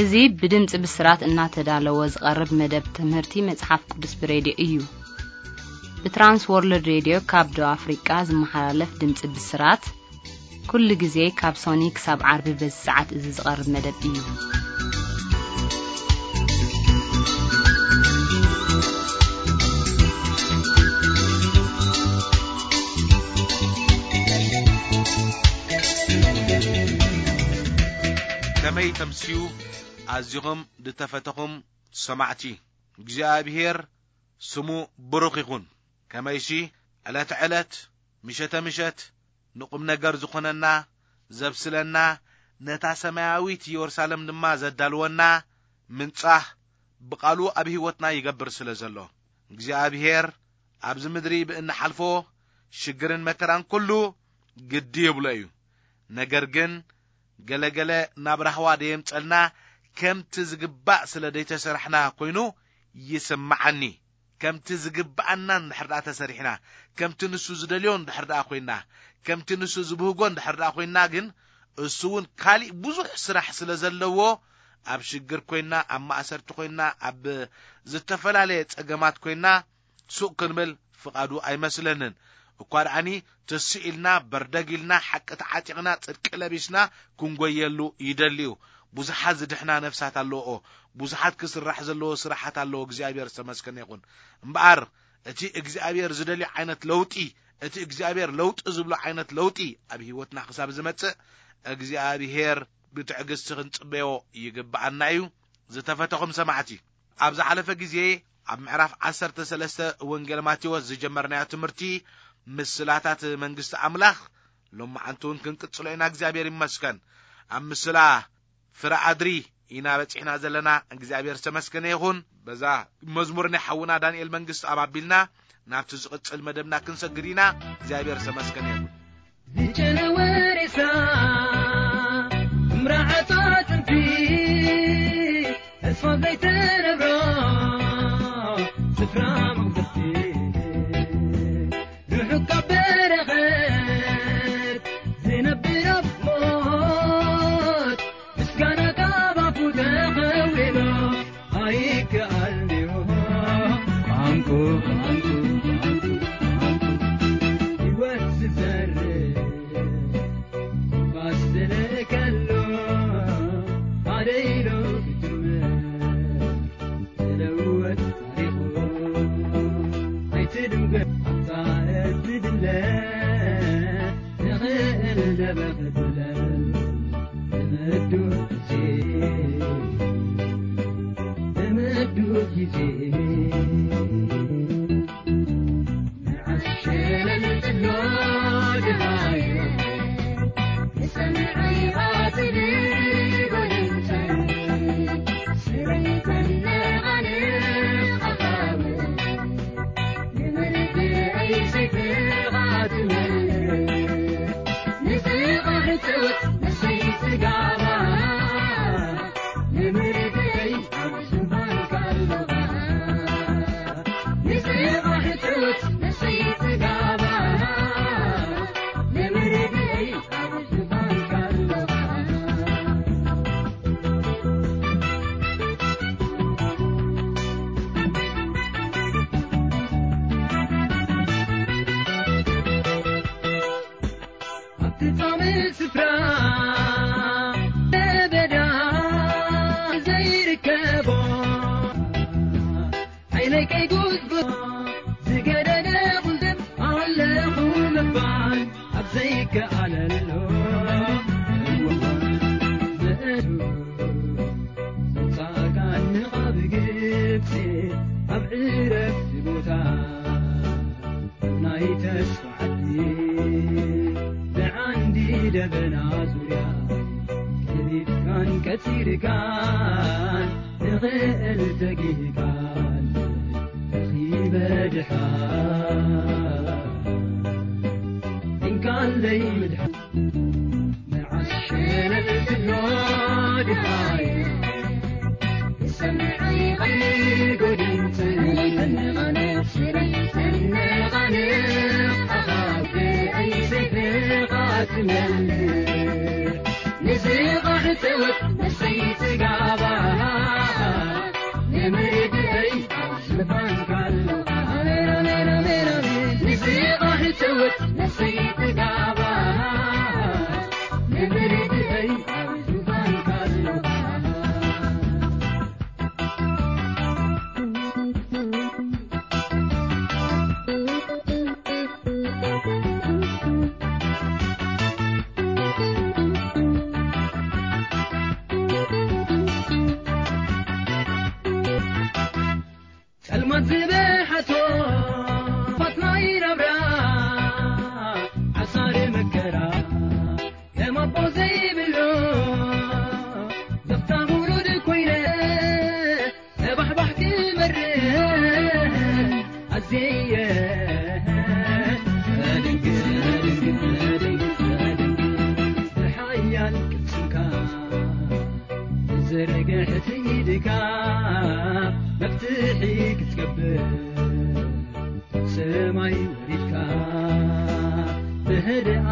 እዚ ብድምፂ ብስራት እናተዳለወ ዝቐርብ መደብ ትምህርቲ መጽሓፍ ቅዱስ ብሬድዮ እዩ። ብትራንስ ወርልድ ሬድዮ ካብ ደቡብ ኣፍሪቃ ዝመሓላለፍ ድምፂ ብስራት፣ ኩሉ ግዜ ካብ ሶኒ ክሳብ ዓርቢ በዚ ሰዓት እዚ ዝቐርብ መደብ እዩ። ከመይ ተምስዩ ኣዚኹም ዝተፈተኹም ሰማዕቲ፣ እግዚኣብሔር ስሙ ብሩኽ ይኹን። ከመይሲ ዕለት ዕለት፣ ምሸተ ምሸት ንቁም ነገር ዝኾነና፣ ዘብስለና፣ ነታ ሰማያዊት ኢየሩሳሌም ድማ ዘዳልወና ምንጻህ ብቓሉ ኣብ ህይወትና ይገብር ስለ ዘሎ፣ እግዚኣብሔር ኣብዚ ምድሪ ብእንሓልፎ ሽግርን መከራን ኩሉ ግዲ ይብሎ እዩ። ነገር ግን ገለገለ ናብ ራህዋ ደየምጸልና፣ ከምቲ ዝግባእ ስለ ደይተሰራሕና ኮይኑ ይስምዓኒ። ከምቲ ዝግብኣና እንድሕር ደኣ ተሰሪሕና፣ ከምቲ ንሱ ዝደልዮ እንድሕር ደኣ ኮይና፣ ከምቲ ንሱ ዝብህጎ እንድሕር ደኣ ኮይና፣ ግን እሱ እውን ካሊእ ብዙሕ ስራሕ ስለ ዘለዎ፣ ኣብ ሽግር ኮይና፣ ኣብ ማእሰርቲ ኮይና፣ ኣብ ዝተፈላለየ ጸገማት ኮይና፣ ሱቕ ክንብል ፍቓዱ ኣይመስለንን። እኳ ደኣኒ ትስእ ኢልና፣ በርደግ ኢልና፣ ሓቂ ተዓጢቕና፣ ጽድቂ ለቢስና ክንጎየሉ ይደሊ እዩ። ብዙሓት ዝድሕና ነፍሳት ኣለዎ። ብዙሓት ክስራሕ ዘለዎ ስራሓት ኣለዎ። እግዚኣብሔር ዝተመስገነ ይኹን። እምበኣር እቲ እግዚኣብሔር ዝደልዮ ዓይነት ለውጢ፣ እቲ እግዚኣብሔር ለውጢ ዝብሎ ዓይነት ለውጢ ኣብ ህይወትና ክሳብ ዝመጽእ፣ እግዚኣብሔር ብትዕግስቲ ክንጽበዮ ይግብኣና እዩ። ዝተፈተኹም ሰማዕቲ፣ ኣብ ዝሓለፈ ግዜ ኣብ ምዕራፍ ዓሰርተ ሰለስተ ወንጌል ማቴዎስ ዝጀመርናዮ ትምህርቲ፣ ምስላታት መንግስቲ ኣምላኽ፣ ሎማዓንቲ እውን ክንቅጽሎ ኢና። እግዚኣብሔር ይመስገን። ኣብ ምስላ ፍረ ኣድሪ ኢና በጺሕና ዘለና። እግዚኣብሔር ዝተመስገነ ይኹን። በዛ መዝሙር ናይ ሓውና ዳንኤል መንግስቲ ኣብ ኣቢልና ናብቲ ዝቕጽል መደብና ክንሰግድ ኢና። እግዚኣብሔር ዝተመስገነ ይኹን። ዝጨነወ ሬሳ፣ ምራዓት ኣጥንቲ፣ ተስፋ ዘይትነብሮ ስፍራ መቕደስቲ፣ ርሑቕ ካብ በረኸት ዝነብር ኣብ ሞት፣ ምስጋና ካብ ኣፉ ተኸዊሉ ኣይከኣልንዮ። ቋንቁ፣ ቋንቁ፣ ቋንቁ፣ ቋንቁ፣ ህይወት ዝዘርእ ትንፋስ ዝልእከሉ፣ ሓደ ኢሉ ክጅምር ዝልወጥ ታሪኹ። ኣይትድንጉ ኣብታ እትድለ ንኽእል ደበኽ ትብለ። ንምዱ ግዜ፣ ንምዱ ግዜ፣ ንዓስ ሸለል ትብሎ ድሃዮ፣ ንሰምዐይ ኣትብል ጎደንተን፣ ስረይተን ነቓንቕ ኣኻውሕ፣ ንምርድኣይ ሰይፍኻ ትመልእ፣ ንስኻ ሕትወት ንሰይቲ ጋባ፣ ንምርድኣይ ኣብ ዝባንካ ኣለኻ። ንስኻ ሕትወት ንሰይቲ ጋባ፣ ንምርድኣይ ኣብ ዝባንካ ኣለኻ። ኣብቲ ጻምእ ስፍራ ለበዳ ዘይርከቦ፣ ዓይነይ ከይጉዝጉ ዝገደደ ቁልድም ኣለኹ ምባል ኣብ ዘይከኣለሉ እዋን፣ ምእቱ ምምጻእካ ንቓብ ግብጺ ኣብ ዕረፍቲ ቦታ ናይ ተስፋ ዓዲ፣ ብዓንዲ ደበና ዙርያ ገዲፍካን ቀጺርካን፣ ንኽእል ተጊህካን ረኺበ ድሓን፣ እንካለይ ምድሓን። መዓስ ሸለል ትብሎ ድሃይ፣ ሰምዓይ ቐይር ጎድንተን፣ ተነቓነቕ ሽረይ፣ ተነቓነቕ ኣኻውሕ፣ ኣይ ሰይፍኻ ትመልእ፣ ንስኻ ሕተወት፣ ንሰይቲ ጋባ።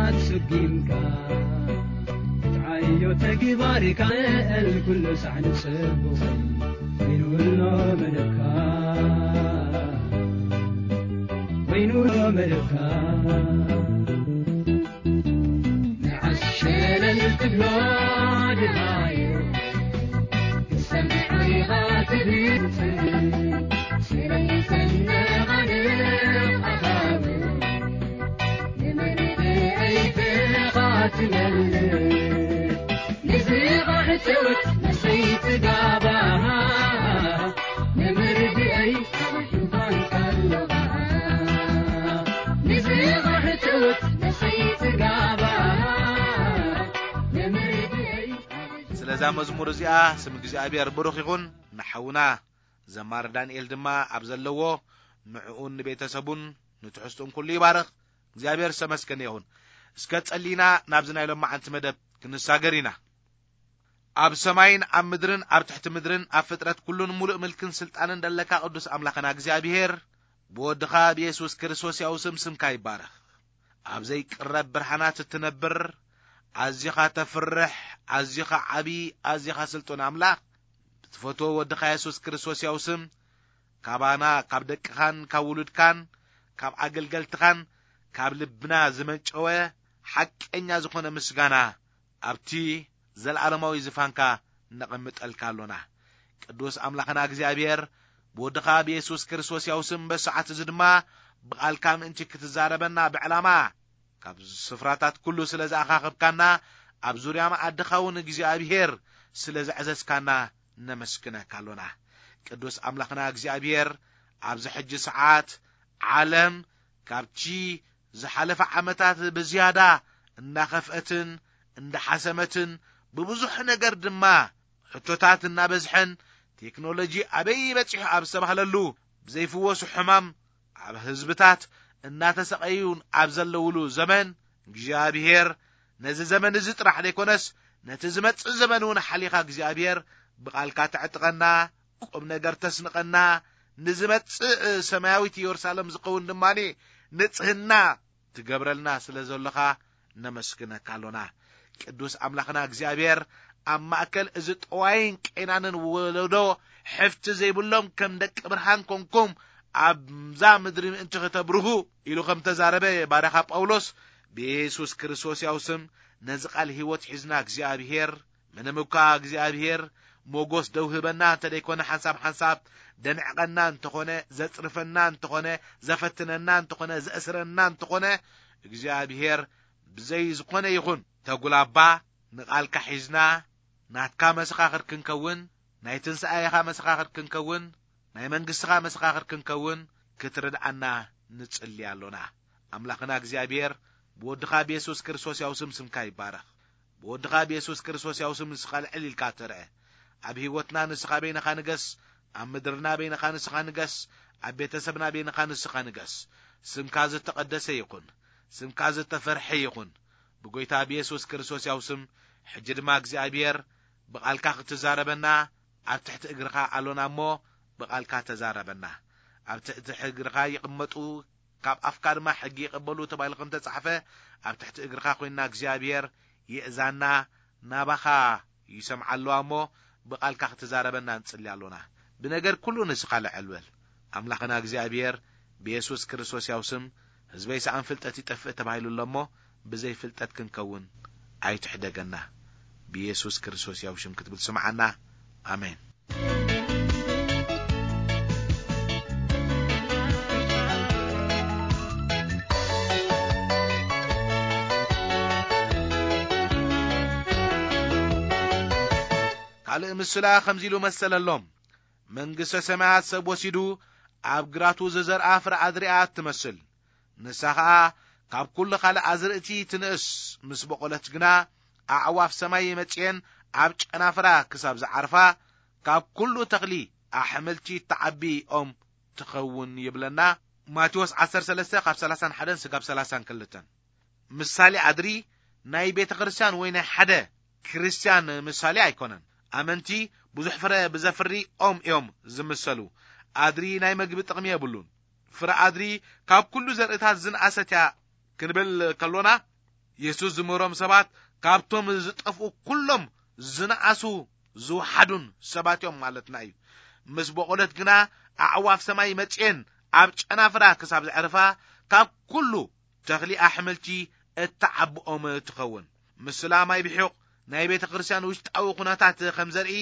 ኣስጊምካ ክትዓዮ ተግባርካ፣ ልዕል ኩሉ ሳዕኒ ጽቡቕ ኮይኑ ኣሎ መደብካ፣ ኮይኑ ኣሎ መደብካ። ንዓስ ሸለል ትብሎ ድሃዩ ክሰምዕ ኢኻ ትብል፣ ስለይተነቓንቕ ኣኻብብ። ስለዛ መዝሙር እዚኣ ስም እግዚኣብሔር ብሩኽ ይኹን። ንሓውና ዘማሪ ዳንኤል ድማ ኣብ ዘለዎ ንዕኡን ንቤተሰቡን ንትሕዝቱን ኩሉ ይባርኽ። እግዚኣብሔር ዝተመስገነ ይኹን። እስከ ጸሊና ናብዚ ናይ ሎማዓንቲ መደብ ክንሳገር ኢና። ኣብ ሰማይን ኣብ ምድርን ኣብ ትሕቲ ምድርን ኣብ ፍጥረት ኩሉን ሙሉእ ምልክን ስልጣንን ደለካ ቅዱስ ኣምላኽና እግዚኣብሔር፣ ብወድኻ ብየሱስ ክርስቶስ ያው ስም ስምካ ይባረኽ። ኣብ ዘይቅረብ ብርሃናት እትነብር፣ ኣዚኻ ተፍርሕ፣ ኣዚኻ ዓቢ፣ ኣዚኻ ስልጡን ኣምላኽ፣ ብትፈትዎ ወድኻ የሱስ ክርስቶስ ያው ስም፣ ካባና፣ ካብ ደቅኻን ካብ ውሉድካን ካብ ኣገልገልትኻን ካብ ልብና ዝመንጨወ ሓቀኛ ዝኾነ ምስጋና ኣብቲ ዘለዓለማዊ ዝፋንካ ነቐምጠልካ ኣሎና። ቅዱስ ኣምላኽና እግዚኣብሔር፣ ብወድኻ ብየሱስ ክርስቶስ ያው ስም በሰዓት እዚ ድማ ብቓልካ ምእንቲ ክትዛረበና ብዕላማ ካብ ስፍራታት ኩሉ ስለ ዝኣኻኸብካና፣ ኣብ ዙርያ መኣድኻ እውን እግዚኣብሔር ስለ ዘዕዘዝካና ነመስግነካ ኣሎና። ቅዱስ ኣምላኽና እግዚኣብሔር፣ ኣብዚ ሕጂ ሰዓት ዓለም ካብቲ ዝሓለፈ ዓመታት ብዝያዳ እናኸፍአትን እንዳሓሰመትን፣ ብብዙሕ ነገር ድማ ሕቶታት እናበዝሐን፣ ቴክኖሎጂ ኣበይ በጺሑ ኣብ ዝተባህለሉ፣ ብዘይፍወሱ ሕማም ኣብ ህዝብታት እናተሰቐዩን ኣብ ዘለውሉ ዘመን፣ እግዚኣብሔር ነዚ ዘመን እዚ ጥራሕ ዘይኮነስ፣ ነቲ ዝመጽእ ዘመን እውን ሓሊኻ እግዚኣብሔር ብቓልካ ተዕጥቀና፣ ቁም ነገር ተስንቐና፣ ንዝመጽእ ሰማያዊት ኢየሩሳሌም ዝኸውን ድማ ንጽህና ትገብረልና ስለ ዘለኻ ነመስግነካ ኣሎና። ቅዱስ ኣምላኽና እግዚኣብሔር፣ ኣብ ማእከል እዚ ጠዋይን ቄናንን ወለዶ፣ ሕፍቲ ዘይብሎም ከም ደቂ ብርሃን ኮንኩም ኣብዛ ምድሪ ምእንቲ ኽተብርሁ ኢሉ ከም ተዛረበ ባርያኻ ጳውሎስ፣ ብየሱስ ክርስቶስ ያው ስም ነዚ ቃል ህይወት ሒዝና እግዚኣብሔር፣ ምንም እኳ እግዚኣብሔር ሞጎስ ደው ህበና እንተ ደይኮነ፣ ሓንሳብ ሓንሳብ ደንዕቐና እንተኾነ፣ ዘጽርፈና እንተኾነ፣ ዘፈትነና እንተኾነ፣ ዘእስረና እንተኾነ፣ እግዚኣብሔር ብዘይ ዝኾነ ይኹን ተጉላባ ንቓልካ ሒዝና ናትካ መሰኻኽር ክንከውን፣ ናይ ትንሳኤኻ መሰኻኽር ክንከውን፣ ናይ መንግስትኻ መሰኻኽር ክንከውን ክትርድኣና ንጽሊ ኣሎና። ኣምላኽና እግዚኣብሔር፣ ብወድኻ ብየሱስ ክርስቶስ ያው ስም ስምካ ይባረኽ። ብወድኻ ብየሱስ ክርስቶስ ያው ስም ንስኻ ልዕል ኢልካ ትርአ። ኣብ ህይወትና ንስኻ በይንኻ ንገስ፣ ኣብ ምድርና በይንኻ ንስኻ ንገስ፣ ኣብ ቤተሰብና በይንኻ ንስኻ ንገስ። ስምካ ዝተቐደሰ ይኹን፣ ስምካ ዝተፈርሐ ይኹን። ብጎይታ ብየሱስ ክርስቶስ ያው ስም፣ ሕጂ ድማ እግዚኣብሔር ብቓልካ ክትዛረበና ኣብ ትሕቲ እግርኻ ኣሎና እሞ፣ ብቓልካ ተዛረበና። ኣብ ትሕቲ እግርኻ ይቕመጡ፣ ካብ ኣፍካ ድማ ሕጊ ይቐበሉ ተባሂሉ ከም ተጻሕፈ፣ ኣብ ትሕቲ እግርኻ ኮይንና እግዚኣብሔር ይእዛና፣ ናባኻ ይሰምዓ ኣለዋ እሞ፣ ብቓልካ ክትዛረበና ንጽሊ ኣሎና። ብነገር ኩሉ ንስኻ ልዕል በል። ኣምላኽና እግዚኣብሔር፣ ብየሱስ ክርስቶስ ያው ስም፣ ህዝበይ ሰኣን ፍልጠት ይጠፍእ ተባሂሉ ኣሎ እሞ፣ ብዘይ ፍልጠት ክንከውን ኣይትሕደገና። ብየሱስ ክርስቶስ ያው ሽም ክትብል ስምዓና። ኣሜን። ካልእ ምስላ ከምዚ ኢሉ መሰለሎም። መንግስተ ሰማያት ሰብ ወሲዱ ኣብ ግራቱ ዝዘርኣ ፍረ ኣድሪ እያ እትመስል። ንሳ ኸኣ ካብ ኩሉ ካልእ ኣዝርእቲ ትንእስ፣ ምስ በቖለት ግና ኣዕዋፍ ሰማይ መጺኤን ኣብ ጨናፍራ ክሳብ ዝዓርፋ፣ ካብ ኩሉ ተኽሊ ኣሕምልቲ እትዓቢ ኦም ትኸውን ይብለና። ማቴዎስ ዓሰርተ ሰለስተ ካብ ሰላሳን ሓደን ስጋብ ሰላሳን ክልተን። ምሳሌ ኣድሪ ናይ ቤተ ክርስቲያን ወይ ናይ ሓደ ክርስቲያን ምሳሌ ኣይኮነን። ኣመንቲ ብዙሕ ፍረ ብዘፍሪ ኦም እዮም ዝምሰሉ። ኣድሪ ናይ መግቢ ጥቕሚ የብሉን። ፍረ ኣድሪ ካብ ኩሉ ዘርእታት ዝንኣሰት እያ ክንብል ከሎና፣ የሱስ ዝምህሮም ሰባት ካብቶም ዝጠፍኡ ኩሎም ዝነኣሱ ዝወሓዱን ሰባት እዮም ማለትና እዩ። ምስ በቖለት ግና ኣዕዋፍ ሰማይ መጺኤን ኣብ ጨናፍራ ክሳብ ዘዕርፋ ካብ ኩሉ ተኽሊ ኣሕምልቲ እተዓብኦም ትኸውን። ምስላ ማይ ብሒቕ ናይ ቤተ ክርስቲያን ውሽጣዊ ኩነታት ከም ዘርኢ፣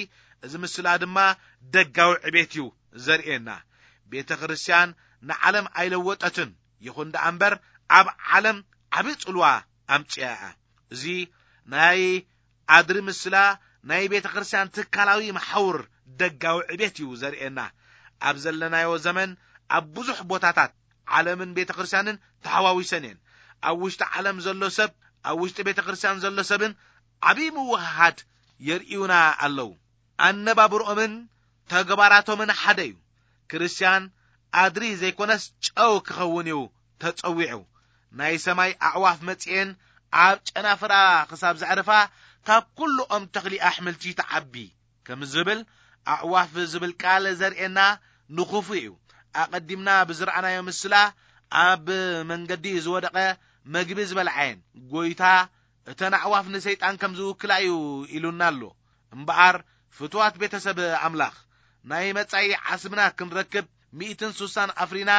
እዚ ምስላ ድማ ደጋዊ ዕቤት እዩ ዘርእየና። ቤተ ክርስቲያን ንዓለም ኣይለወጠትን፣ ይኹን ደኣ እምበር ኣብ ዓለም ዓቢ ጽልዋ ኣምጽያ እያ። እዚ ናይ ኣድሪ ምስላ ናይ ቤተ ክርስቲያን ትካላዊ መሓውር ደጋዊ ዕቤት እዩ ዘርእየና። ኣብ ዘለናዮ ዘመን ኣብ ብዙሕ ቦታታት ዓለምን ቤተ ክርስቲያንን ተሓዋዊሰን እየን። ኣብ ውሽጢ ዓለም ዘሎ ሰብ፣ ኣብ ውሽጢ ቤተ ክርስቲያን ዘሎ ሰብን ዓቢ ምውህሃድ የርእዩና ኣለዉ። ኣነባብርኦምን ተግባራቶምን ሓደ እዩ። ክርስቲያን ኣድሪ ዘይኮነስ ጨው ክኸውን እዩ ተጸዊዑ። ናይ ሰማይ ኣዕዋፍ መጺኤን ኣብ ጨናፍራ ክሳብ ዘዕርፋ ካብ ኩሉኦም ተኽሊ ኣሕምልቲ ትዓቢ ከም ዝብል ኣዕዋፍ ዝብል ቃል ዘርእየና ንኹፉ እዩ። ኣቐዲምና ብዝረኣናዮ ምስላ ኣብ መንገዲ ዝወደቐ መግቢ ዝበልዓየን ጎይታ እተን ኣዕዋፍ ንሰይጣን ከም ዝውክላ እዩ ኢሉና ኣሎ። እምበኣር ፍትዋት ቤተሰብ ኣምላኽ ናይ መጻኢ ዓስብና ክንረክብ ሚእትን ሱሳን ኣፍሪና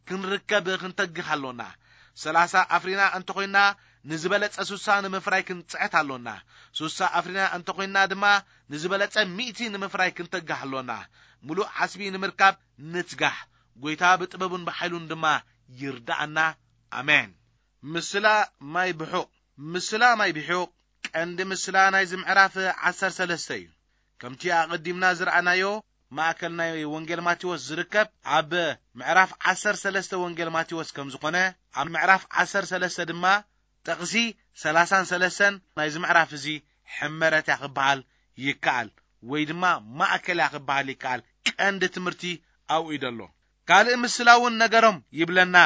ክንርከብ ክንተግህ ኣሎና። ሰላሳ ኣፍሪና እንተኾይና ንዝበለጸ ሱሳ ንምፍራይ ክንጽዕት ኣሎና። ሱሳ ኣፍሪና እንተኾይና ድማ ንዝበለጸ ሚእቲ ንምፍራይ ክንተግህ ኣሎና። ምሉእ ዓስቢ ንምርካብ ንትጋህ። ጎይታ ብጥበቡን ብሓይሉን ድማ ይርዳኣና። ኣሜን። ምስላ ማይ ብሑቕ። ምስላ ማይ ብሑቕ ቀንዲ ምስላ ናይዚ ምዕራፍ ዓሰርተ ሰለስተ እዩ። ከምቲ ኣቐዲምና ዝረኣናዮ ማእከል ናይ ወንጌል ማቴዎስ ዝርከብ ኣብ ምዕራፍ ዓሰርተ ሰለስተ ወንጌል ማቴዎስ ከም ዝኾነ፣ ኣብ ምዕራፍ ዓሰርተ ሰለስተ ድማ ጥቕሲ ሰላሳን ሰለስተን ናይዚ ምዕራፍ እዚ ሕመረት እያ ክበሃል ይከኣል፣ ወይ ድማ ማእከል እያ ክበሃል ይከኣል። ቀንዲ ትምህርቲ ኣብኡ እዩ ዘሎ። ካልእ ምስላ እውን ነገሮም ይብለና።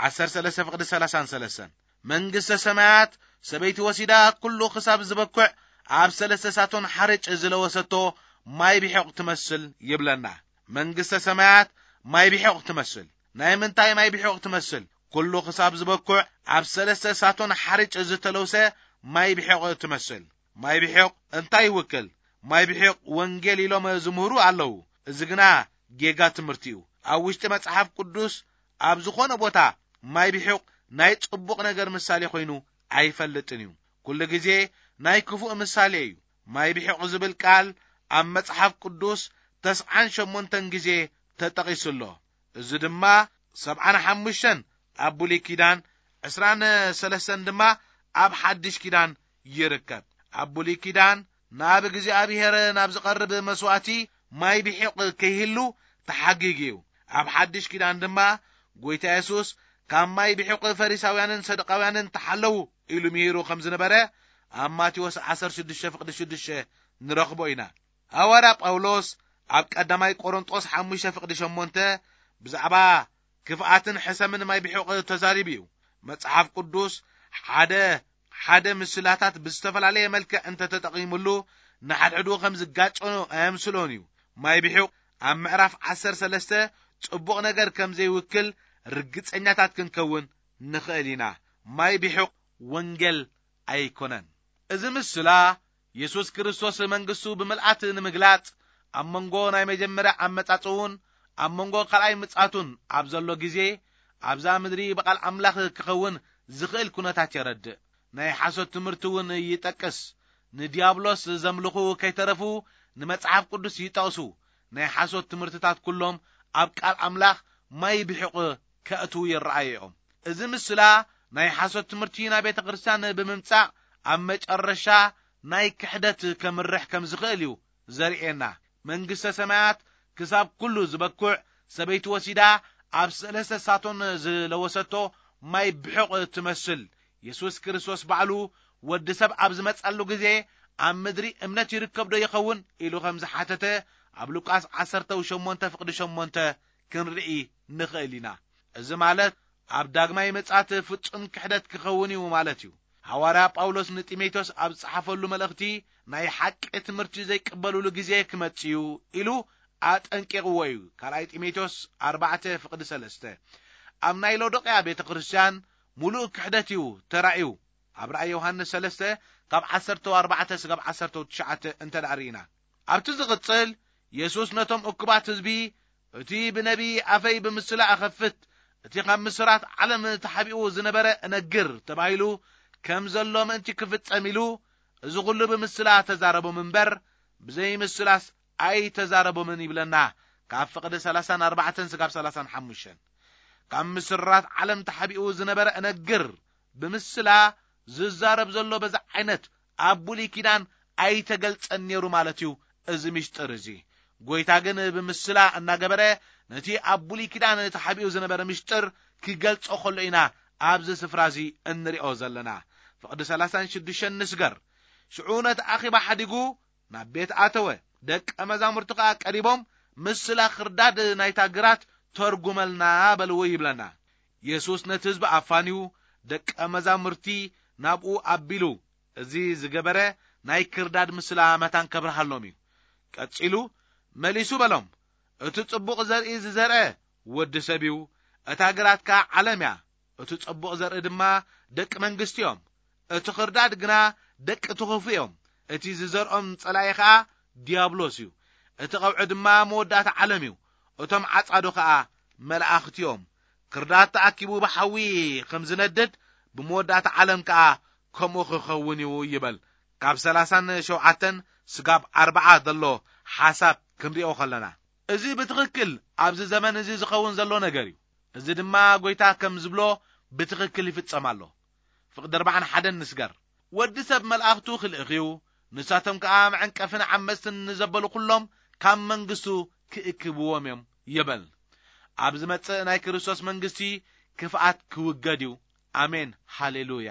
ዓሰርተ ሰለስተ ፍቕዲ ሰላሳን ሰለስተን መንግስተ ሰማያት ሰበይቲ ወሲዳ ኩሉ ክሳብ ዝበኩዕ ኣብ ሰለስተ ሳቶን ሓርጭ ዝለወሰቶ ማይ ብሒቕ ትመስል ይብለና። መንግስተ ሰማያት ማይ ብሒቕ ትመስል። ናይ ምንታይ ማይ ብሒቕ ትመስል? ኩሉ ክሳብ ዝበኩዕ ኣብ ሰለስተ ሳቶን ሓርጭ ዝተለውሰ ማይ ብሒቕ ትመስል። ማይ ብሒቕ እንታይ ይውክል? ማይ ብሒቕ ወንጌል ኢሎም ዝምህሩ ኣለዉ። እዚ ግና ጌጋ ትምህርቲ እዩ። ኣብ ውሽጢ መጽሓፍ ቅዱስ ኣብ ዝኾነ ቦታ ማይ ብሒቕ ናይ ጽቡቕ ነገር ምሳሌ ኮይኑ ኣይፈልጥን እዩ። ኩሉ ግዜ ናይ ክፉእ ምሳሌ እዩ። ማይ ብሒቕ ዝብል ቃል ኣብ መጽሓፍ ቅዱስ ተስዓን ሸሞንተን ግዜ ተጠቒሱ ኣሎ። እዚ ድማ ሰብዓን ሓሙሽተን ኣብ ብሉይ ኪዳን፣ ዕስራን ሰለስተን ድማ ኣብ ሓድሽ ኪዳን ይርከብ። ኣብ ብሉይ ኪዳን ናብ እግዚኣብሔር ናብ ዝቐርብ መስዋእቲ ማይ ብሒቕ ከይህሉ ተሓጊጉ እዩ። ኣብ ሓድሽ ኪዳን ድማ ጎይታ የሱስ ካብ ማይ ብሒቕ ፈሪሳውያንን ሰዱቃውያንን ተሓለዉ ኢሉ ምሂሩ ከም ዝነበረ ኣብ ማቴዎስ ዓሰርተ ሽዱሽተ ፍቕዲ ሽዱሽተ ንረኽቦ ኢና። ሃዋርያ ጳውሎስ ኣብ ቀዳማይ ቆሮንጦስ ሓሙሽተ ፍቕዲ ሸሞንተ ብዛዕባ ክፍኣትን ሕሰምን ማይ ብሒቕ ተዛሪቡ እዩ። መጽሓፍ ቅዱስ ሓደ ሓደ ምስላታት ብዝተፈላለየ መልክዕ እንተተጠቒሙሉ ንሓድሕዱ ከም ዝጋጨኑ ኣየምስሎን እዩ። ማይ ብሒቕ ኣብ ምዕራፍ ዓሰርተ ሰለስተ ጽቡቕ ነገር ከም ዘይውክል ርግጸኛታት ክንከውን ንኽእል ኢና። ማይ ብሒቕ ወንጌል ኣይኮነን። እዚ ምስላ የሱስ ክርስቶስ መንግስቱ ብምልኣት ንምግላጽ ኣብ መንጎ ናይ መጀመርያ ኣመጻጽኡን ኣብ መንጎ ካልኣይ ምጽኣቱን ኣብ ዘሎ ግዜ ኣብዛ ምድሪ ብቓል ኣምላኽ ክኸውን ዝኽእል ኩነታት የረድእ። ናይ ሓሶት ትምህርቲ እውን ይጠቅስ። ንዲያብሎስ ዘምልኹ ከይተረፉ ንመጽሓፍ ቅዱስ ይጠቕሱ። ናይ ሓሶት ትምህርትታት ኩሎም ኣብ ቃል ኣምላኽ ማይ ብሒቕ ከእትዉ ይረኣዩ እዮም። እዚ ምስላ ናይ ሓሶት ትምህርቲ ናብ ቤተ ክርስቲያን ብምምጻእ ኣብ መጨረሻ ናይ ክሕደት ከምርሕ ከም ዝኽእል እዩ ዘርእየና። መንግስተ ሰማያት ክሳብ ኩሉ ዝበኩዕ ሰበይቲ ወሲዳ ኣብ ሰለስተ ሳቶን ዝለወሰቶ ማይ ብሑቕ ትመስል። የሱስ ክርስቶስ ባዕሉ ወዲ ሰብ ኣብ ዝመጻሉ ግዜ ኣብ ምድሪ እምነት ይርከብ ዶ ይኸውን ኢሉ ከም ዝሓተተ ኣብ ሉቃስ ዓሰርተ ሸሞንተ ፍቕዲ ሸሞንተ ክንርኢ ንኽእል ኢና። እዚ ማለት ኣብ ዳግማይ ምጽኣት ፍጹም ክሕደት ክኸውን እዩ ማለት እዩ። ሃዋርያ ጳውሎስ ንጢሞቴዎስ ኣብ ዝጸሓፈሉ መልእኽቲ ናይ ሓቂ ትምህርቲ ዘይቅበሉሉ ግዜ ክመጽእ እዩ ኢሉ ኣጠንቂቕዎ እዩ። ካልኣይ ጢሞቴዎስ ኣርባዕተ ፍቕዲ ሰለስተ። ኣብ ናይ ሎዶቅያ ቤተ ክርስቲያን ምሉእ ክሕደት እዩ ተራእዩ። ኣብ ራእይ ዮሃንስ ሰለስተ ካብ ዓሰርተ ኣርባዕተ ስጋብ ዓሰርተ ትሽዓተ እንተ ደኣ ርኢና፣ ኣብቲ ዝቕጽል የሱስ ነቶም እኩባት ህዝቢ፣ እቲ ብነቢ ኣፈይ ብምስላ እኸፍት፣ እቲ ካብ ምስራት ዓለም ተሓቢኡ ዝነበረ እነግር ተባሂሉ ከም ዘሎ ምእንቲ ክፍጸም ኢሉ፣ እዚ ኹሉ ብምስላ ተዛረቦም እምበር፣ ብዘይ ምስላስ ኣይተዛረቦምን ይብለና። ካብ ፍቕዲ ሰላሳን ኣርባዕተን ስጋብ ሰላሳን ሓሙሽተን። ካብ ምስራት ዓለም ተሓቢኡ ዝነበረ እነግር ብምስላ ዝዛረብ ዘሎ በዚ ዓይነት ኣብ ብሉይ ኪዳን ኣይተገልጸን ነይሩ ማለት እዩ። እዚ ምሽጥር እዚ ጎይታ ግን ብምስላ እናገበረ ነቲ ኣብ ብሉይ ኪዳን ተሓቢኡ ዝነበረ ምሽጥር ክገልጾ ከሎ ኢና ኣብዚ ስፍራ እዚ እንሪኦ ዘለና። ፍቕዲ ሰላሳን ሽዱሽተን ንስገር። ሽዑ ነቲ ኣኺባ ሓዲጉ ናብ ቤት ኣተወ። ደቀ መዛሙርቱ ከኣ ቀሪቦም፣ "ምስላ ክርዳድ ናይታ ግራት ተርጉመልና" በልዎ ይብለና። የሱስ ነቲ ህዝቢ ኣፋንዩ፣ ደቀ መዛሙርቲ ናብኡ ኣቢሉ፣ እዚ ዝገበረ ናይ ክርዳድ ምስላ መታን ከብርሃሎም እዩ። ቀጺሉ መሊሱ በሎም፣ "እቲ ጽቡቕ ዘርኢ ዝዘርአ ወዲ ሰብ እዩ፣ እታ ግራት ከኣ ዓለም እያ። እቲ ጽቡቕ ዘርኢ ድማ ደቂ መንግስቲ እዮም፣ እቲ ኽርዳድ ግና ደቂ እቲ ኽፉእ እዮም። እቲ ዝዘርኦም ጸላኢ ኸኣ ዲያብሎስ እዩ። እቲ ቐውዒ ድማ መወዳእታ ዓለም እዩ። እቶም ዓጻዶ ኸኣ መላእኽቲ እዮም። ክርዳድ ተኣኪቡ ብሓዊ ከም ዝነድድ፣ ብመወዳእታ ዓለም ከኣ ከምኡ ክኸውን እዩ" ይበል። ካብ ሰላሳን ሸውዓተን ስጋብ ኣርብዓ ዘሎ ሓሳብ ክንሪኦ ከለና፣ እዚ ብትኽክል ኣብዚ ዘመን እዚ ዝኸውን ዘሎ ነገር እዩ። እዚ ድማ ጎይታ ከም ዝብሎ ብትኽክል ይፍጸም ኣሎ። ፍቕዲ ኣርባዓን ሓደን ንስገር። "ወዲ ሰብ መልኣኽቱ ክልእኽ እዩ፣ ንሳቶም ከኣ መዐንቀፍን ዓመጽትን ንዘበሉ ኩሎም ካብ መንግስቱ ክእክብዎም እዮም" ይብል። ኣብ ዝመጽእ ናይ ክርስቶስ መንግስቲ ክፍኣት ክውገድ እዩ። ኣሜን፣ ሃሌሉያ።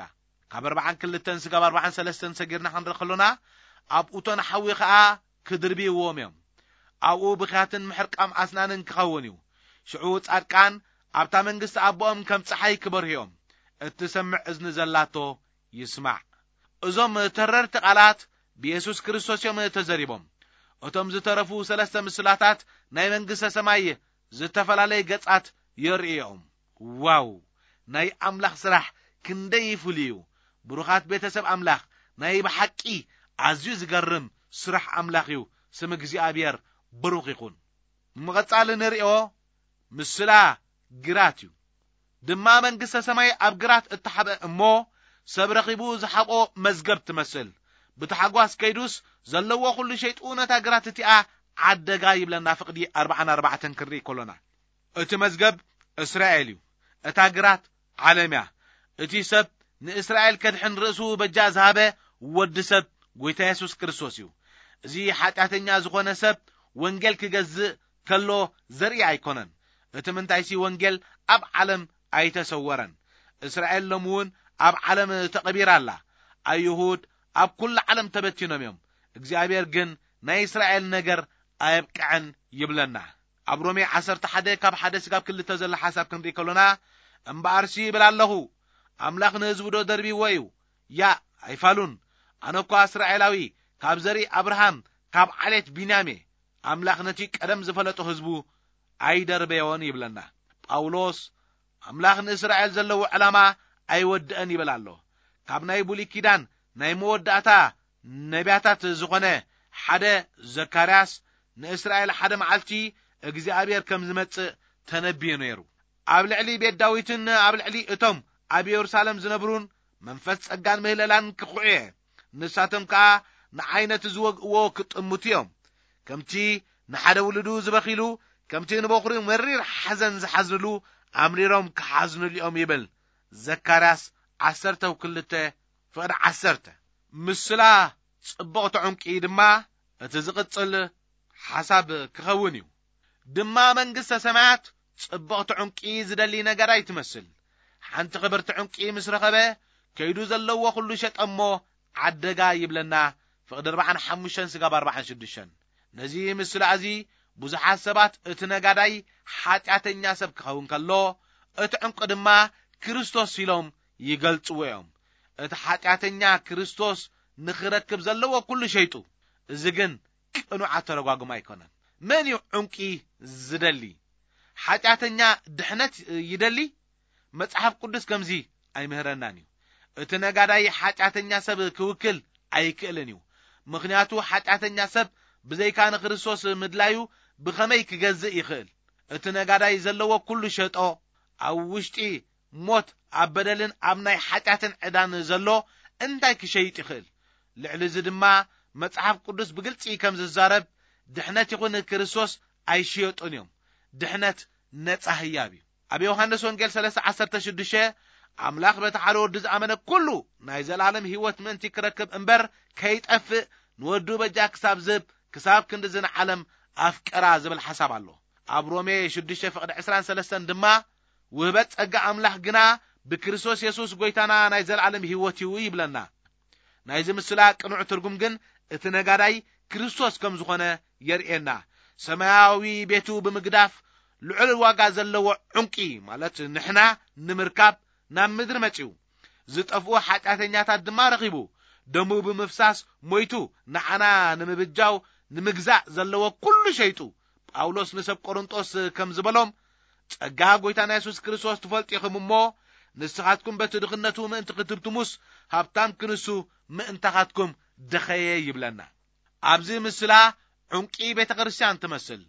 ካብ ኣርባዓን ክልተን ስጋብ ኣርባዓን ሰለስተን ሰጊርና ክንርኢ ከሎና፣ "ኣብ እቶን ሓዊ ከኣ ክድርብይዎም እዮም። ኣብኡ ብኽያትን ምሕርቃም ኣስናንን ክኸውን እዩ። ሽዑ ጻድቃን ኣብታ መንግስቲ ኣቦኦም ከም ጸሓይ ክበርሁ እዮም። እትሰምዕ እዝኒ ዘላቶ ይስማዕ።" እዞም ተረርቲ ቃላት ብየሱስ ክርስቶስ እዮም ተዘሪቦም። እቶም ዝተረፉ ሰለስተ ምስላታት ናይ መንግስተ ሰማይ ዝተፈላለየ ገጻት የርእዮም። ዋው! ናይ ኣምላኽ ስራሕ ክንደይ ፍሉይ እዩ! ብሩኻት ቤተሰብ ኣምላኽ፣ ናይ ብሓቂ ኣዝዩ ዝገርም ስራሕ ኣምላኽ እዩ። ስም እግዚኣብሔር ብሩኽ ይኹን። ንምቕጻል ንርእዮ ምስላ ግራት እዩ። ድማ መንግስተ ሰማይ ኣብ ግራት እተሓብአ እሞ፣ ሰብ ረኺቡ ዝሓብኦ መዝገብ ትመስል። ብታሕጓስ ከይዱስ ዘለዎ ኩሉ ሸይጡ ነታ ግራት እቲኣ ዓደጋ ይብለና ፍቕዲ ኣርባዓን ኣርባዕተን ክንርኢ ከሎና። እቲ መዝገብ እስራኤል እዩ። እታ ግራት ዓለም እያ። እቲ ሰብ ንእስራኤል ከድሕን ርእሱ በጃ ዝሃበ ወዲ ሰብ ጎይታ የሱስ ክርስቶስ እዩ። እዚ ሓጢኣተኛ ዝኾነ ሰብ ወንጌል ክገዝእ ከሎ ዘርኢ ኣይኮነን። እቲ ምንታይሲ ወንጌል ኣብ ዓለም ኣይተሰወረን። እስራኤል ሎሚ እውን ኣብ ዓለም ተቐቢራ ኣላ። ኣይሁድ ኣብ ኩሉ ዓለም ተበቲኖም እዮም። እግዚኣብሔር ግን ናይ እስራኤል ነገር ኣየብቅዐን ይብለና። ኣብ ሮሜ ዓሰርተ ሓደ ካብ ሓደ ስጋብ ክልተ ዘሎ ሓሳብ ክንርኢ ከሎና፣ "እምበኣርሲ ይብል ኣለኹ፣ ኣምላኽ ንህዝቡ ዶ ደርቢዎ እዩ? ያእ ኣይፋሉን። ኣነ እኳ እስራኤላዊ፣ ካብ ዘርኢ ኣብርሃም፣ ካብ ዓሌት ቢንያም እየ። ኣምላኽ ነቲ ቀደም ዝፈለጦ ህዝቡ ኣይደርበዮን" ይብለና። ጳውሎስ፣ "ኣምላኽ ንእስራኤል ዘለዎ ዕላማ ኣይወድአን" ይብል ኣሎ። ካብ ናይ ብሉይ ኪዳን ናይ መወዳእታ ነቢያታት ዝኾነ ሓደ ዘካርያስ፣ ንእስራኤል ሓደ መዓልቲ እግዚኣብሔር ከም ዝመጽእ ተነብዩ ነይሩ። ኣብ ልዕሊ ቤት ዳዊትን ኣብ ልዕሊ እቶም ኣብ የሩሳሌም ዝነብሩን መንፈስ ጸጋን ምህለላን ክኹዕ እየ። ንሳቶም ከኣ ንዓይ ነቲ ዝወግእዎ ክጥምቱ እዮም። ከምቲ ንሓደ ውሉዱ ዝበኺሉ፣ ከምቲ ንበኹሪ መሪር ሓዘን ዝሓዝንሉ፣ ኣምሪሮም ክሓዝንሉ እዮም ይብል። ዘካርያስ ዓሰርተ ክልተ ፍቕዲ ዓሰርተ። ምስላ ጽብቕቲ ዕንቂ ድማ እቲ ዝቕጽል ሓሳብ ክኸውን እዩ። ድማ መንግስተ ሰማያት ጽብቕቲ ዕንቂ ዝደሊ ነጋዳይ ትመስል። ሓንቲ ክብርቲ ዕንቂ ምስ ረኸበ፣ ከይዱ ዘለዎ ኩሉ ሸጠ እሞ ዓደጋ ይብለና። ፍቕዲ ኣርባዓን ሓሙሽተን ስጋብ ኣርባዓን ሽዱሽተን። ነዚ ምስላ እዚ ብዙሓት ሰባት እቲ ነጋዳይ ሓጢኣተኛ ሰብ ክኸውን ከሎ፣ እቲ ዕንቂ ድማ ክርስቶስ ኢሎም ይገልጽዎ እዮም። እቲ ሓጢኣተኛ ክርስቶስ ንኽረክብ ዘለዎ ኩሉ ሸይጡ። እዚ ግን ቅኑዕ ኣተረጓጉማ ኣይኮነን። መን እዩ ዕንቂ ዝደሊ? ሓጢኣተኛ ድሕነት ይደሊ? መጽሓፍ ቅዱስ ከምዚ ኣይምህረናን እዩ። እቲ ነጋዳይ ሓጢኣተኛ ሰብ ክውክል ኣይክእልን እዩ። ምኽንያቱ ሓጢኣተኛ ሰብ ብዘይካ ንክርስቶስ ምድላዩ ብኸመይ ክገዝእ ይኽእል? እቲ ነጋዳይ ዘለዎ ኩሉ ሸጦ፣ ኣብ ውሽጢ ሞት፣ ኣብ በደልን ኣብ ናይ ሓጢኣትን ዕዳን ዘሎ እንታይ ክሸይጥ ይኽእል? ልዕሊ እዚ ድማ መጽሓፍ ቅዱስ ብግልጺ ከም ዝዛረብ፣ ድሕነት ይኹን ክርስቶስ ኣይሽየጡን እዮም። ድሕነት ነጻ ህያብ እዩ። ኣብ ዮሃንስ ወንጌል ሰለስተ ዓሰርተ ሽዱሽተ፣ ኣምላኽ በቲ ሓደ ወዲ ዝኣመነ ኩሉ ናይ ዘላለም ህይወት ምእንቲ ክረክብ እምበር ከይጠፍእ፣ ንወዱ በጃ ክሳብ ዝህብ፣ ክሳብ ክንድዚ ንዓለም ኣፍቀራ ዝብል ሓሳብ ኣሎ። ኣብ ሮሜ ሽዱሽተ ፍቕዲ ዕስራን ሰለስተን ድማ፣ ውህበት ጸጋ ኣምላኽ ግና ብክርስቶስ የሱስ ጎይታና ናይ ዘላለም ህይወት እዩ ይብለና። ናይዚ ምስላ ቅኑዕ ትርጉም ግን እቲ ነጋዳይ ክርስቶስ ከም ዝኾነ የርእየና። ሰማያዊ ቤቱ ብምግዳፍ ልዑል ዋጋ ዘለዎ ዕንቂ፣ ማለት ንሕና፣ ንምርካብ ናብ ምድሪ መጺኡ። ዝጠፍኡ ሓጢኣተኛታት ድማ ረኺቡ፣ ደሙ ብምፍሳስ ሞይቱ፣ ንዓና ንምብጃው፣ ንምግዛእ ዘለዎ ኩሉ ሸይጡ። ጳውሎስ ንሰብ ቆሮንጦስ ከም ዝበሎም፣ "ጸጋ ጎይታና የሱስ ክርስቶስ ትፈልጡ ኢኹም እሞ፣ ንስኻትኩም በቲ ድኽነቱ ምእንቲ ክትብትሙስ፣ ሃብታም ክንሱ ምእንታኻትኩም ደኸየ" ይብለና። ኣብዚ ምስላ ዕንቂ ቤተ ክርስቲያን ትመስል።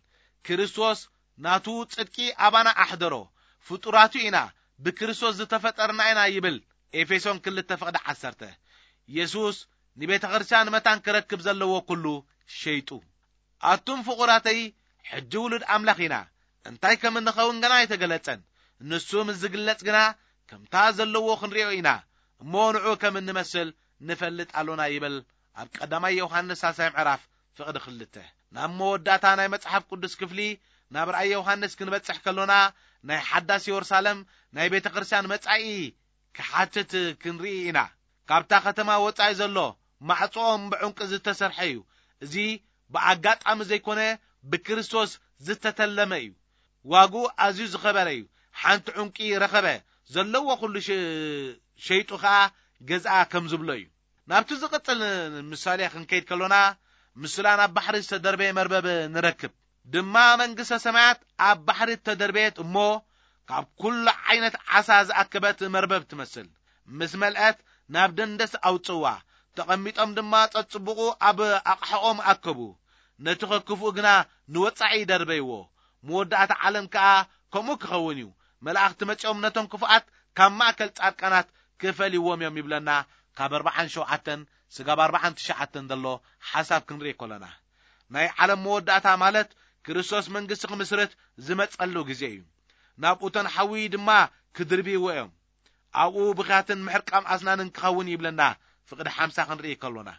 ክርስቶስ ናቱ ጽድቂ ኣባና ኣሕደሮ። ፍጡራቱ ኢና፣ ብክርስቶስ ዝተፈጠርና ኢና ይብል ኤፌሶን ክልተ ፍቕዲ ዓሰርተ። የሱስ ንቤተ ክርስቲያን መታን ክረክብ ዘለዎ ኩሉ ሸይጡ። ኣቱም ፍቑራተይ፣ ሕጂ ውሉድ ኣምላኽ ኢና። እንታይ ከም እንኸውን ገና ኣይተገለጸን። ንሱ ምስ ዝግለጽ ግና ከምታ ዘለዎ ክንሪኦ ኢና። እሞ ንዑ ከም እንመስል ንፈልጥ ኣሎና ይብል ኣብ ቀዳማይ ዮሃንስ ሳልሳይ ምዕራፍ ፍቕዲ ክልተ። ናብ መወዳእታ ናይ መጽሓፍ ቅዱስ ክፍሊ፣ ናብ ራእይ ዮሃንስ ክንበጽሕ ከሎና፣ ናይ ሓዳስ የሩሳሌም ናይ ቤተ ክርስቲያን መጻኢ ክሓትት ክንርኢ ኢና። ካብታ ከተማ ወጻኢ ዘሎ ማዕጾኦም ብዕንቂ ዝተሰርሐ እዩ። እዚ ብኣጋጣሚ ዘይኮነ፣ ብክርስቶስ ዝተተለመ እዩ። ዋግኡ ኣዝዩ ዝኸበረ እዩ። ሓንቲ ዕንቂ ረኸበ፣ ዘለዎ ኩሉ ሸ-፣ ሸይጡ ኸኣ ገዝኣ ከም ዝብሎ እዩ። ናብቲ ዝቕጽል ምሳሌ ክንከይድ ከሎና፣ ምስላ ናብ ባሕሪ ዝተደርበየ መርበብ ንረክብ። ድማ መንግስተ ሰማያት ኣብ ባሕሪ እተደርበየት እሞ፣ ካብ ኩሉ ዓይነት ዓሳ ዝኣከበት መርበብ ትመስል። ምስ መልአት ናብ ደንደስ ኣውጽእዋ። ተቐሚጦም ድማ ጸጽብቑ ኣብ ኣቕሓኦም ኣከቡ። ነቲ ከክፍኡ ግና ንወጻኢ ደርበይዎ። መወዳእታ ዓለም ከኣ ከምኡ ክኸውን እዩ። መላእኽቲ መጺኦም ነቶም ክፉኣት ካብ ማእከል ጻድቃናት ክፈልይዎም እዮም ይብለና። ካብ ኣርባዓን ሸውዓተን ስጋብ ኣርባዓን ትሽዓተን ዘሎ ሓሳብ ክንርኢ ከሎና፣ ናይ ዓለም መወዳእታ ማለት ክርስቶስ መንግስቲ ክምስርት ዝመጸሉ ግዜ እዩ። ናብኡ እተን ሓዊ ድማ ክድርብይዎ እዮም። ኣብኡ ብኽያትን ምሕርቃም ኣስናንን ክኸውን ይብለና። ፍቕዲ ሓምሳ ክንርኢ ከሎና፣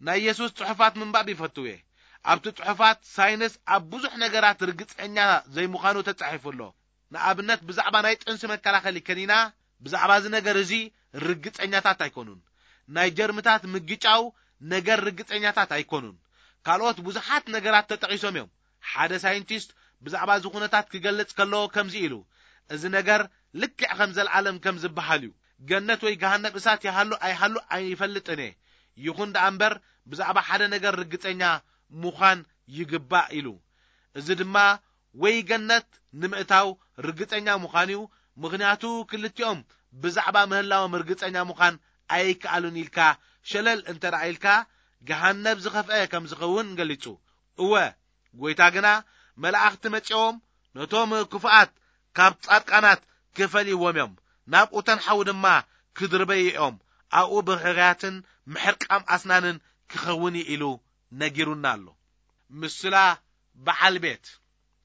ናይ የሱስ ጽሑፋት ምንባብ ይፈትው እየ። ኣብቲ ጽሑፋት ሳይንስ ኣብ ብዙሕ ነገራት ርግጸኛ ዘይምዃኑ ተጻሒፉ ኣሎ። ንኣብነት ብዛዕባ ናይ ጥንሲ መከላኸሊ ከኒና፣ ብዛዕባ እዚ ነገር እዚ ርግጸኛታት ኣይኮኑን። ናይ ጀርምታት ምግጫው ነገር ርግጸኛታት ኣይኮኑን። ካልኦት ብዙሓት ነገራት ተጠቒሶም እዮም። ሓደ ሳይንቲስት ብዛዕባ እዚ ኩነታት ክገልጽ ከሎ ከምዚ ኢሉ፣ "እዚ ነገር ልክዕ ከም ዘልኣለም ከም ዝበሃል እዩ። ገነት ወይ ገሃነብ እሳት ይሃሉ ኣይሃሉ ኣይፈልጥን እየ። ይኹን ደኣ እምበር ብዛዕባ ሓደ ነገር ርግጸኛ ምዃን ይግባእ" ኢሉ። እዚ ድማ ወይ ገነት ንምእታው ርግጸኛ ምዃን እዩ። ምኽንያቱ ክልቲኦም ብዛዕባ ምህላዎም ርግጸኛ ምዃን ኣይከኣሉን ኢልካ ሸለል እንተ ደኣ ኢልካ፣ ገሃነብ ዝኸፍአ ከም ዝኸውን ገሊጹ። እወ፣ ጎይታ ግና መላእኽቲ መጺኦም ነቶም ክፉኣት ካብ ጻድቃናት ክፈልይዎም እዮም፣ ናብኡ ተንሓዉ ድማ ክድርበዩ እዮም። ኣብኡ ብኽያትን ምሕርቃም ኣስናንን ክኸውን እዩ ኢሉ ነጊሩና ኣሎ። ምስላ በዓል ቤት።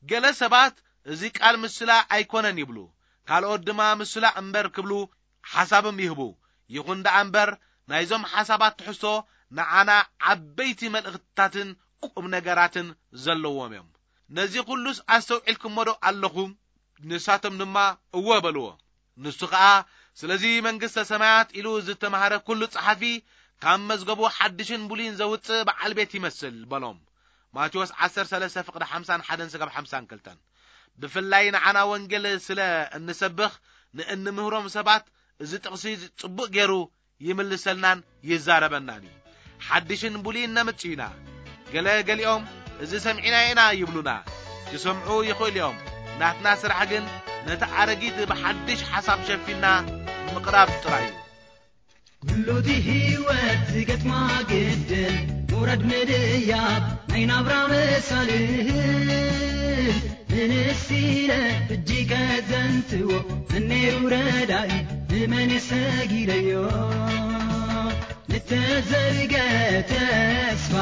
ገለ ሰባት እዚ ቃል ምስላ ኣይኮነን ይብሉ፣ ካልኦት ድማ ምስላ እምበር ክብሉ ሓሳብም ይህቡ። ይኹን ደኣ እምበር ናይዞም ሓሳባት ትሕዝቶ ንዓና ዓበይቲ መልእኽትታትን ቁም ነገራትን ዘለዎም እዮም። ነዚ ኩሉስ ኣስተውዒልኩሞ ዶ ኣለኹም? ንሳቶም ድማ እወ በልዎ። ንሱ ኸኣ ስለዚ መንግስተ ሰማያት ኢሉ ዝተማህረ ኩሉ ጸሓፊ ካብ መዝገቡ ሓድሽን ብሉይን ዘውጽእ በዓል ቤት ይመስል በሎም። ማቴዎስ ዓሰርተ ሰለስተ ፍቕዲ ሓምሳን ሓደን ስጋብ ሓምሳን ክልተን። ብፍላይ ንዓና ወንጌል ስለ እንሰብኽ ንእንምህሮም ሰባት እዚ ጥቕሲ ጽቡቕ ገይሩ ይምልሰልናን ይዛረበናን እዩ። ሓድሽን ብሉይን ነምጽእ ኢና። ገለ ገሊኦም እዚ ሰሚዕና ኢና ይብሉና። ክሰምዑ ይኽእሉ እዮም። ናትና ስራሕ ግን ነቲ ኣረጊት ብሓድሽ ሓሳብ ሸፊንና ምቕራብ ጥራይ እዩ። ኩሉ እቲ ህይወት ዝገጥማ ግድል፣ ምውራድ ምድያብ ናይ ናብራ መሳልል። ምንስ ኢለ እጅ ከዘንትዎ፣ መን ነይሩ ረዳኢ፣ ንመን ሰጊደዮ? ንተዘርገ ተስፋ፣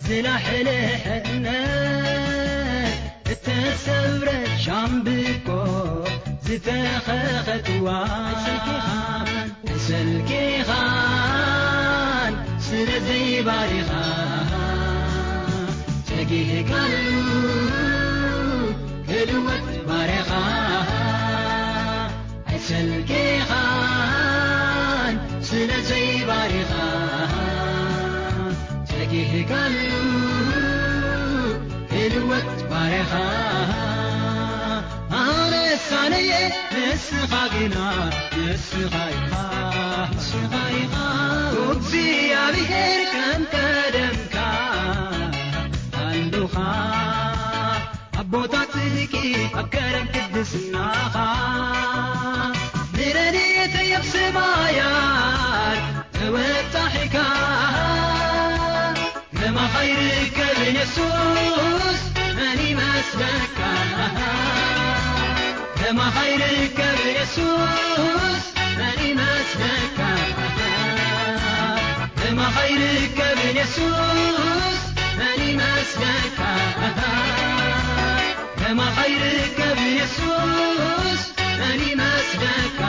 ዝላሕለሐ እምነት፣ እተሰብረ ሻምብቆ፣ ዝተኸኸትዋ ሰልኪኻን ስለ ዘይባሪኻ፣ ተጊህካሉ ክልወጥ ባሪኻ። ኣይሰልኪኻን ስለ ዘይባሪኻ፣ ተጊህካሉ ክልወጥ ባሪኻ። ኣነስ ኣነየ ንስኻ ግና፣ ንስኻ ኢኻ፣ ንስኻ ኢኻ። እግዚኣብሔር ከም ቀደምካ ኣሉኻ። ኣብ ቦታ ጽድቂ ኣብ ከረን ቅድስናኻ፣ ብረድኤተይ ኣብ ሰማያት ተወጣሒካ። ከማኻ ይርከብ የሱስ፣ መን ይመስለካ? ከማኻ ይርከብ የሱስ፣ መን ይመስለካ? ከማኻ ይርከብ የሱስ፣ መን ይመስለካ? ከማኻ ይርከብ የሱስ፣ መን ይመስለካ?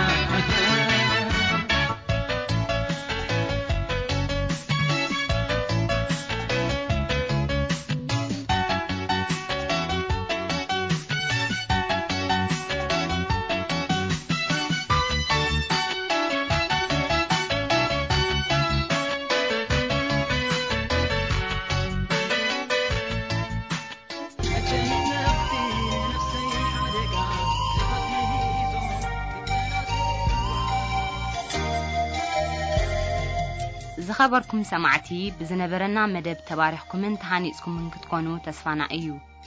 ዝኸበርኩም ሰማዕቲ፣ ብዝነበረና መደብ ተባሪኽኩምን ተሃኒጽኩምን ክትኮኑ ተስፋና እዩ።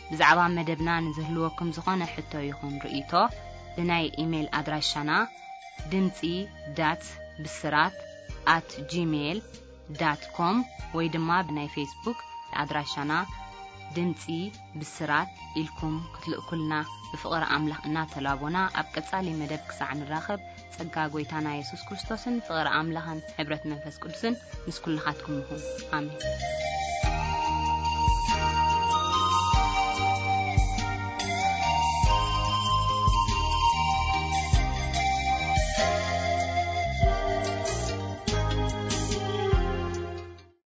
ብዛዕባ መደብና ንዝህልወኩም ዝኾነ ሕቶ ይኹን ርእይቶ፣ ብናይ ኢሜይል ኣድራሻና ድምጺ ዳት ብስራት ኣት ጂሜይል ዳት ኮም ወይ ድማ ብናይ ፌስቡክ ኣድራሻና ድምጺ ብስራት ኢልኩም ክትልእኩልና ብፍቕሪ ኣምላኽ እናተላቦና፣ ኣብ ቀጻሊ መደብ ክሳዕ ንራኸብ፣ ጸጋ ጐይታና የሱስ ክርስቶስን ፍቕሪ ኣምላኽን ሕብረት መንፈስ ቅዱስን ምስ ኩልኻትኩም ይኹን። ኣሜን።